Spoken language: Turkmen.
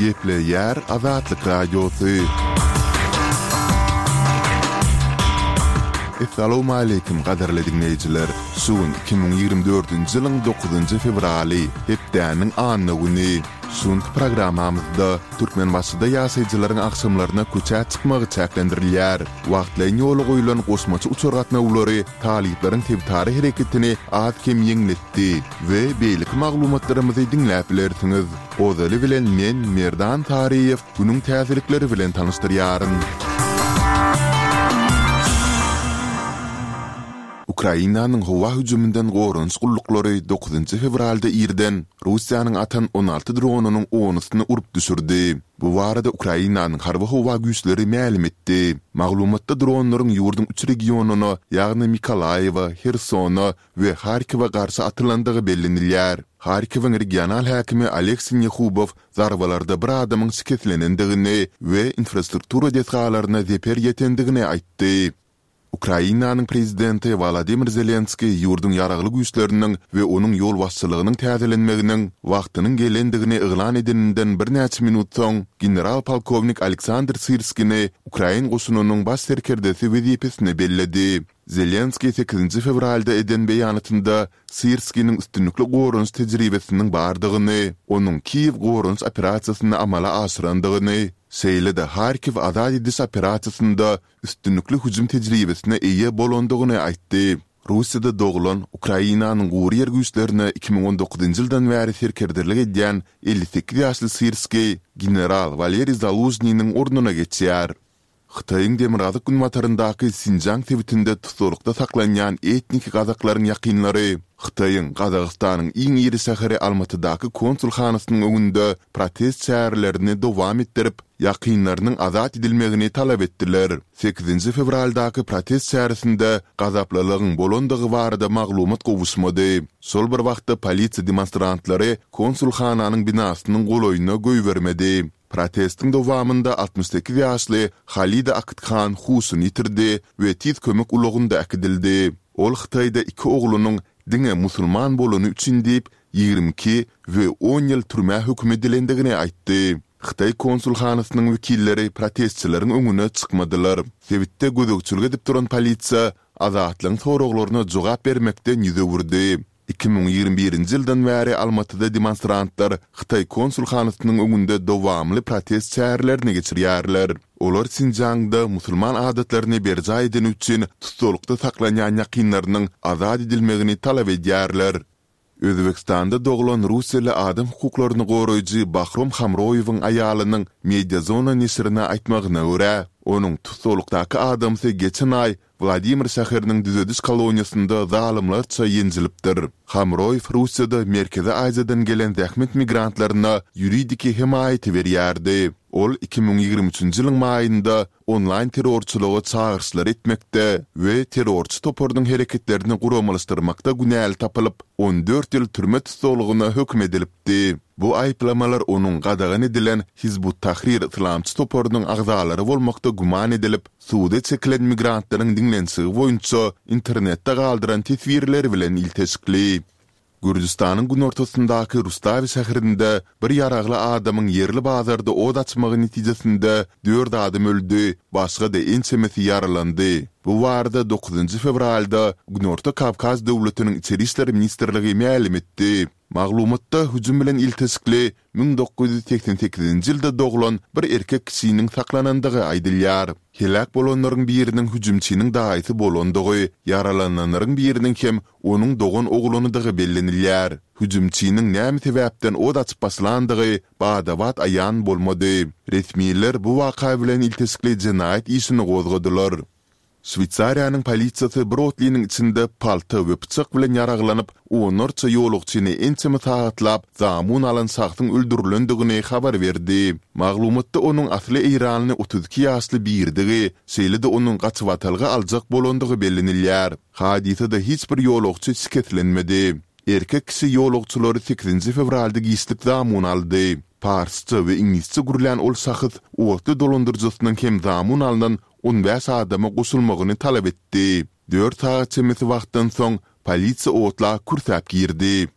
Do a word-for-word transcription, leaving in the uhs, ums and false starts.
Gepleýär Azatlyk Radiosy. Essalawmaleýkim gadyrly diňleýjiler! Şu gün iki müň ýigrimi dördünji ýylyň dokuzynjy fewraly, hepdäniň anna güni. Şu günki programmamyzda Türkmenbaşyda ýaşaýjylaryň agşamlaryna köçä çykmagy çäklendirilýär. Wagtlaýyn ýola goýlan goşmaça uçar gatnawlary talyplaryň sebitara hereketini az-kem ýeňletdi we beýleki maglumatlarymyzy diňläp bilersiňiz. Ozaly bilen men, Merdan Saryýew, günüň täzelikleri bilen tanyşdyrýaryn. Ukrainanyň howa hüjüminden goranyş gulluklary dokuzynjy fewralda irden Russiýanyň atan on alty dronynyň onusyny urup düşürdi. Bu barada Ukrainanyň Harby-howa güýçleri mälim etdi. Maglumatda dronlaryň ýurduň üç regionyna, ýagny Mykolaýiwe, Hersona we Harkowa garşy atylandygy bellenilýär. Harkowyň regional häkimi Oleg Sinehubow zarbalarda bir adamyň şikeslenendigini we infrastruktura desgalaryna zeper ýetendigini aýtdy. Ukrainanyň prezidenti Wolodymyr Zelenskiý ýurduň Ýaragly Güýçleriniň we onuň ýolbaşçylygynyň täzelenmeginiň wagtynyň gelendigini yglan edeninden birnäçe minut soň, general-polkownik Aleksandr Syrskini ukrain goşunynyň baş serkerdesi wezipesine belledi. Zelenskiý sekizinji fewralda eden beýanatynda Syrskiniň üstünlikli goranyş tejribesiniň bardygyny, onuň Kiýew goranyş operasiýasyny amala aşyrandygyny, şeýle-de Harkiw azat ediş operasiýasynda üstünlikli hüjüm tejribesine eýe bolandygyny aýtdy. Russiýada doglan, Ukrainanyň gury ýer güýçlerine iki müň on dokuzynjy ýyldan bäri serkerdelik edýän elli sekiz ýaşly Syrskiý general Waleriý Zalužnynyň ornuna geçýär. Hytaýyň demirgazyk-günbataryndaky Sinjaň sebitinde tussaglykda saklanýan etniki gazaklaryň ýakynlary Hytaýyň Gazagystanyň iň iri şäheri Almatydaky konsulhanasynyň öňünde protest çärelerini dowam etdirip, ýakynlarynyň azat edilmegini talap etdiler. Sekizinji fewraldaky protest çäresinde gazaplylygyň bolandygy barada maglumat gowuşmady. Şol bir wagtda polisiýa demonstrantlary konsulhananyň binasynyň golaýyna goýbermedi. Protestiň dowamynda altmyş sekiz ýaşly Halida Akythan huşuny ýitirdi we tiz kömek ulagynda äkidildi. Ol Hytaýda iki oglunyň diňe musulman bolany üçin diýip, ýigrimi iki we on ýyl türmä höküm edilendigini aýtdy. Hytaý konsulhanasynyň wekilleri protestçileriň öňüne çykmadylar. Sebitde gözegçilik edip duran polisiýa Azatlygyň soraglaryna jogap bermekden ýüz öwürdi. Iki müň ýigrimi birinji ýyldan bäri Almatyda demonstrantlar Hytaý konsulhanasynyň öňünde dowamly protest çärelerini geçirýärler. Olar Sinjiangda musulman adatlaryny berjaý edeni üçin tussaglykda saklanýan ýakynlarynyň azat edilmegini talap edýärler. Özbegistanda doglan russiýaly adam hukuklaryny goraýjy Bahrom Hamroýewiň aýalynyň Mediazona neşirine aýtmagyna görä, onuň tussaglykdaky adamsy geçen aý Wladimir şäheriniň düzediş koloniýasynda zalymlarça ýenjilipdir. Hamroýew Russiýada Merkezi Aziýadan gelen zähmet migrantlaryna ýuridiki hemaýaty berýärdi. Ol iki müň ýigrimi üçünji ýylyň maýynda onlaýn terrorçylyga çagyryşlar etmekde we terrorçy toparynyň hereketlerini guramalaşdyrmakda günäli tapylyp, on dört ýyl türme tussaglygyna höküm edilipdi. Bu aýyplamalar onuň gadagan edilen Hizb ut-Tahrir yslamçy toparynyň agzalary bolmakda güman edilip, Suda çekilen migrantlaryň diňlenişigi boýunça internetde galdyran teswirleri bilen ilteşikli. Gürjüstanyň günortasyndaky Rustawi şäherinde bir ýaragly adamyň ýerli bazarda ot açmagy netijesinde dört adam öldi, başga-da ençemesi ýaralandy. Bu barada dokuzynjy fewralda Günorta Kawkaz döwletiniň Içeri işler ministrligi mälim etdi. Maglumatda hüjüm bilen ilteşikli müň dokuz ýüz segsen sekizinji ýylda doglan bir erkek kişiniň saklanandygy aýdylýar. Heläk bolanlaryň biriniň hüjümçiniň daýysy bolandygy, ýaralananlaryň biriniň hem onuň dogan oglanydygy bellenilýär. Hüjümçiniň näme sebäpden ot açyp başlandygy bada-bat aýan bolmady. Resmiler bu waka bilen ilteşikli jenaýat işini gozgadylar. Şweýsariýanyň polisiýasy bir otlynyň içinde palta we pyçak bilen ýaraglanyp, onlarça ýolagçyny ençeme sagatlap zamun alan şahsyň öldürilendigini habar berdi. Maglumatda onuň asly eýranly otuz iki ýaşly birdigi, şeýle-de onuň gaçybatalga aljak bolandygy bellenilýär. Hadysada hiç bir ýolagçy şikeslenmedi. Erkek kişi ýolagçylary sekizinji fewralda giçlik zamun aldy. Parsça we iňlisçe gürlän ol şahs otly dolandyryjysynyň hem zamun alnan on bäş adama goşulmagyny talap etdi. Dört sagat çemesi wagtdan soň, polisiýa otla kürsäp girdi.